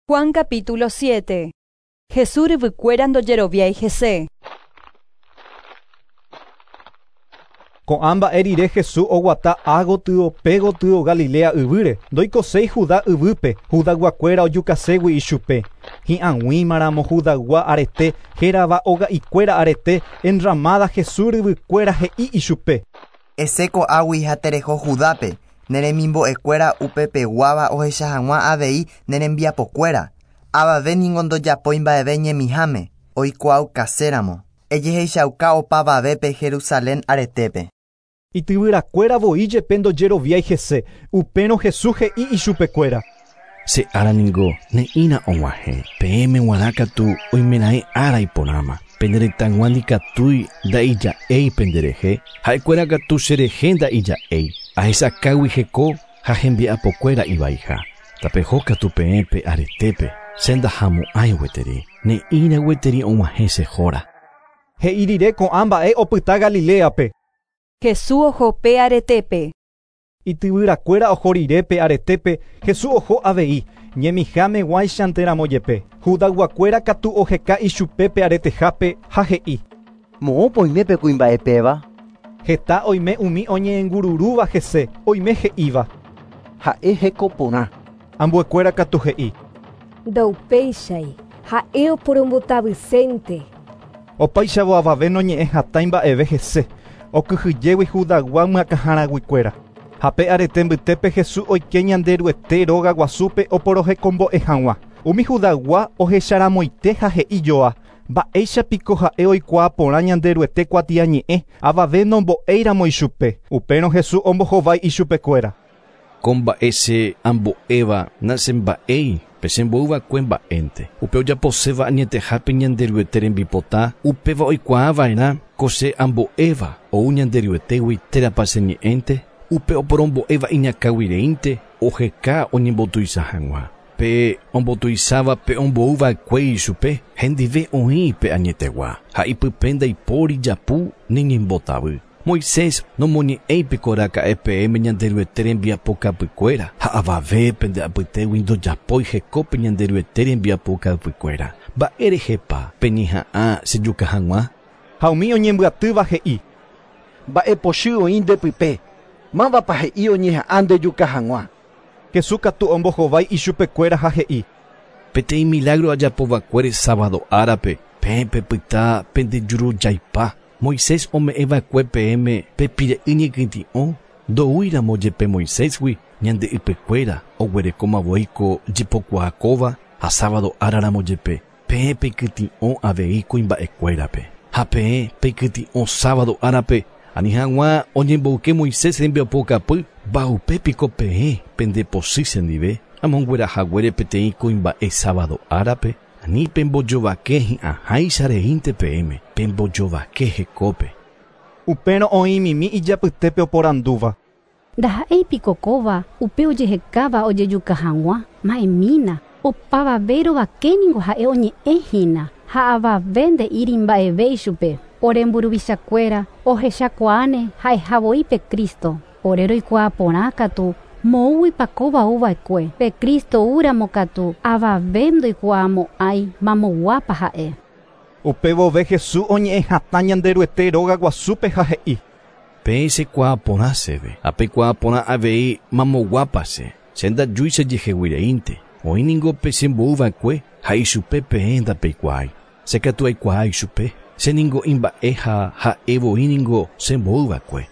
Juan capítulo 7. Jesús ryvykuéra ndojeroviái hese. Ko'ã mba'e rire Jesús oguata ágotyo pégotyo Galilea yvýre, ndoikoséi Judá yvýpe, Judayguakuéra ojukaségui ichupe. Hi'ag̃uímaramo Judaygua arete, hérava oga'ikuéra arete, enramada Jesús ryvykuéra he'i ichupe. Esẽ ko'águi ha tereho Judápe, ne remimbo'ekuéra upepeguáva ohecha hag̃ua avei ne rembiapokuéra. Avave ningo ndojapói mba'eve ñemiháme, oikuaaukaséramo. Ejehechauka opavavépe Jerusalén aretépe. Ityvyrakuéra voi jepe ndojeroviái hese, upérõ Jesús he'i ichupekuéra. Che ára ningo ne'ĩra og̃uahẽ, peẽme g̃uarã katu oimeraẽ ára iporãma. Pene retãygua ndikatúi nda'ija'éi penderehe, ha'ekuéra katu cherehe nda'ija'éi, ahechakágui heko ha hembiapokuéra ivaiha. Tapeho katu peẽ pe aretépe, che ndahamo'ãi gueteri, ne'ĩra gueteri og̃uahẽ che hóra. He'i rire ko'ã mba'e opyta Galiléape. Jesús oho pe aretépe. Ityvyrakuéra oho rire pe aretépe, Jesús oho avei, ñemiháme guáichanteramo jepe. Judayguakuéra katu oheka ichupe pe aretehápe ha he'i. Moõpa oime pe kuimba'e péva? Heta oime umi oñe'ẽngururúva hese, oime he'íva. Ha'e heko porã. Ambuekuéra katu he'i. Ndaupéichai, ha'e oporombotavysénte. Opáichavo avave noñe'ẽ hatãi mba'eve hese, okyhyjégui Judaygua myakãharaguikuéra. Ha pe arete mbytépe Jesús oike Ñanderuete róga guasúpe oporohekombo'e hag̃ua. Umi Judaygua ohecharamoite ha he'i joa, mba'éichapiko ha'e oikuaa porã Ñanderuete kuatiañe'ẽ, avave nombo'éiramo ichupe. Upérõ Jesús ombohovái ichupekuéra. Ko mba'e che ambo'éva nachemba'éi, pe chemboyva'ekue mba'énte. Upe ojaposéva añetehápe Ñanderuete rembipota, upéva oikuaava'erã ko che ambo'éva ou Ñanderuetégui térãpa che ñe'ẽnte, upe oporombo'éva iñakãguireínte oheka oñembotuicha hag̃ua. Pe ombotuicháva pe omboyva'ekue ichupe, hendive oĩ pe añetegua, ha ipype ndaipóri japu ni ñembotavy. Moisés nomoñe'ẽipiko raka'e peẽme Ñanderuete rembiapokapykuéra ha avave pende apytégui ndojapói hekópe Ñanderuete rembiapokapykuéra. Mba'érehepa peñeha'ã chejuka hag̃ua? Ha umi oñembyatýva he'i. Mba'epochy oĩ ndepype. Mávapa he'i oñeha'ã ndejuka hag̃ua? Jesús katu ombohovái ichupekuéra ha he'i. Peteĩ milagro ajapova'ekuére sábado árape, peẽ pepyta pendejurujaipa. Moisés ome'ẽva'ekue peẽme pe pire'y ñekytĩ'o, ndoúiramo jepe Moisésgui ñande ypykuéra oguerekóma ko jepokuaa kóva ha sábado áraramo jepe, peẽ peikytĩ'o avei kuimba'ekuérape. Ha peẽ peikytĩ'o sábado árape, ani hag̃ua oñemboyke Moisés rembiapokapy, mba'upépiko peẽ pendepochy chendive, amonguerahaguére peteĩ kuimba'e sábado árape, ani pembojovake hi'ãháicha reínte peẽme, pembojovake hekópe. Upérõ oĩmimi ijapytépe oporandúva. Ndaha'éipiko kóva upe ojehekáva ojejuka hag̃ua, ma'ẽmína, opavave rovakéningo ha'e oñe'ẽhína ha avave nde'íri mba'eve ichupe. Ore mburuvichakuéra ohechakuaáne ha'eha pe Cristo. Ore roikuaa porã katu moõguipa kóva ouva'ekue. Pe Cristo oúramo katu avave ndoikuaamo'ãi mamoguápa ha'e. Upe vove Jesús oñe'ẽ hatã Ñanderuete róga guasúpe ha he'i. Peẽ chekuaa porã chéve, ha peikuaa porã avei mamoguápa che, che ndajúi chejeheguireínte. Oĩ ningo pe chemboyva'ekue ha ichupe peẽ ndapeikuaái. Che katu aikuaa ichupe, che ningo imba'e ha ha'e voi ningo chemboyva'ekue.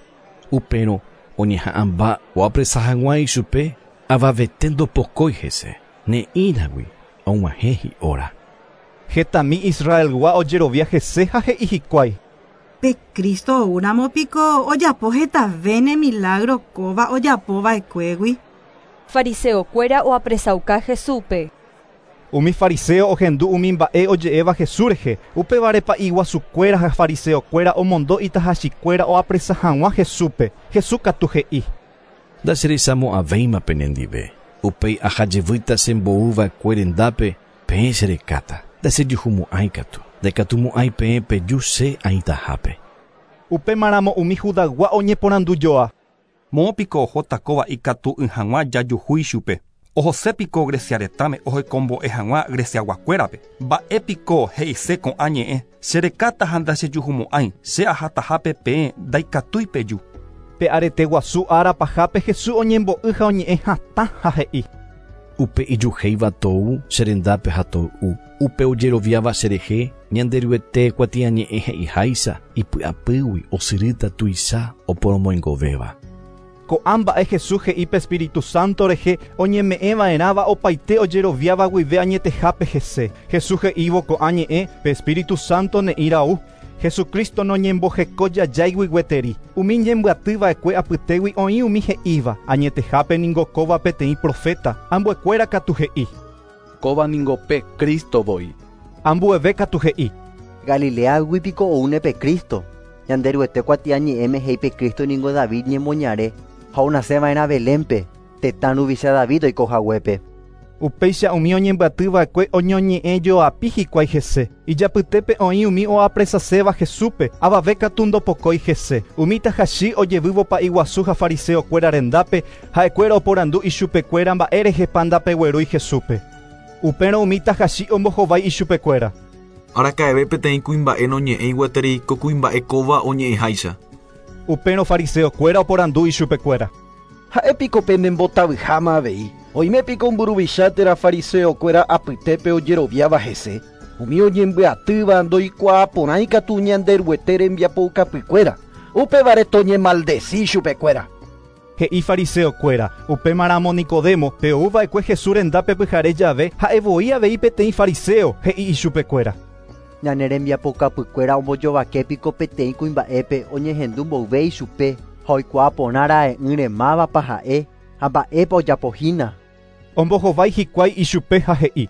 Upérõ oñeha'ãmba oapresa hag̃ua ichupe, avavete ndopokói hese, ne'ĩragui og̃uahẽ hi'óra. Hetami Israelgua ojerovia hese ha he'i hikuái. Pe Cristo oúramo piko ojapo hetavéne milagro kóva ojapova'ekuégui. Fariseokuéra oapresauka Jesúspe. Umi fariseo ohendu umi mba'e oje'éva Jesús rehe, upévare pa'i guasukuéra ha fariseokuéra omondo itahachikuéra oapresa hag̃ua Jesúspe. Jesús katu he'i. Ndacherechamo'ãvéima penendive. Upéi ahajevýta chemboyva'ekue rendápe, peẽ cherekáta. Ndachejuhumo'ãi katu. Ndaikatumo'ãi peẽ peju che aĩtahápe. Upémaramo umi Judaygua oñeporandujoa. Moõpiko ohóta kóva ikatu'ỹ hag̃ua jajuhu ichupe. Ohose piko Grecia retãme ohekombo'e hag̃ua Greciaguakuérape. Mba'e piko he'ise ko'ã ñe'ẽ cherekáta ha ndachejuhumo'ãi che ahatahápe peẽ ndaikatúi peju. Pe arete guasu ára pahápe Jesús oñembo'y ha oñe'ẽ hatã ha he'i. Upe ijuhéiva tou cherendápe ha toy'u. Upe ojeroviáva cherehe Ñanderuete kuatiañe'ẽ he'iháicha ipy'apýgui osyrýta tuicha oporomoingovéva. Ko'ã mba'e Jesús he'i pe Espíritu Santo rehe oñeme'ẽva'erãva opaite ojeroviáva guive añetehápe hese. Jesús he'ívo ko'ã ñe'ẽ pe Espíritu Santo ne'íra'u. Jesucristo noñembohekojajáigui gueteri. Umi ñembyatyva'ekue apytégui oĩ umi he'íva añetehápe ningo kóva peteĩ profeta, ambuekuéra katu he'i. Kóva ningo pe Cristo voi. Ambueve katu he'i. Galileagui piko oúne pe Cristo. Ñanderuete kuatiañe'ẽme he'i pe Cristo ningo David ñemoñare ha onaseva'erã Belénpe, tetã ruvicha David oikohaguépe. Upéicha umi oñembyatyva'ekue oñoñe'ẽjoapi hikuái hese. Ijapytépe oĩ umi oapresaséva Jesúspe, avave katu ndopokói hese. Umi tahachi ojevývo pa'iguasu ha fariseokuéra rendápe, ha'ekuéra oporandu ichupekuéra mba'érehepa ndapeguerúi Jesúspe. Upérõ umi tahachi ombohovái ichupekuéra. Araka'eve peteĩ kuimba'e noñe'ẽi gueteri ko kuimba'e kóva oñe'ẽháicha. Upérõ fariseokuéra oporandu ichupekuéra. Ha'e piko penembotavyháma avei. Oime piko mburuvicha térã fariseokuéra apytépe ojeroviáva hese. Umi oñembyatýva ndoikuaaporãi katu Ñanderuete rembiapoukapykuéra. Upévare toñemaldeci chupekuéra. He'i fariseokuéra, upémaramo Nicodemo, pe ouva'ekue Jesús rendápe pyhare jave, ha'evoi avei peteĩ fariseo, he'i ichupekuéra. Ñane rembiapokapykuéra ombojovake piko peteĩ kuimba'épe oñehendu mboyve ichupe ha oikuaaporã ra'e'ỹre mávapa ha'e ha mba'épa ojapohína. Ombohovái hikuái ichupe ha he'i.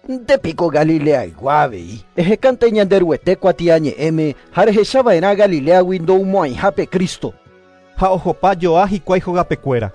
Nde piko Galileaygua avei. Ehekánte Ñanderuete kuatiañe'ẽme ha rehechava'erã Galileagui ndoumo'ãiha pe Cristo. Ha ohopa joa hikuái hogapekuéra.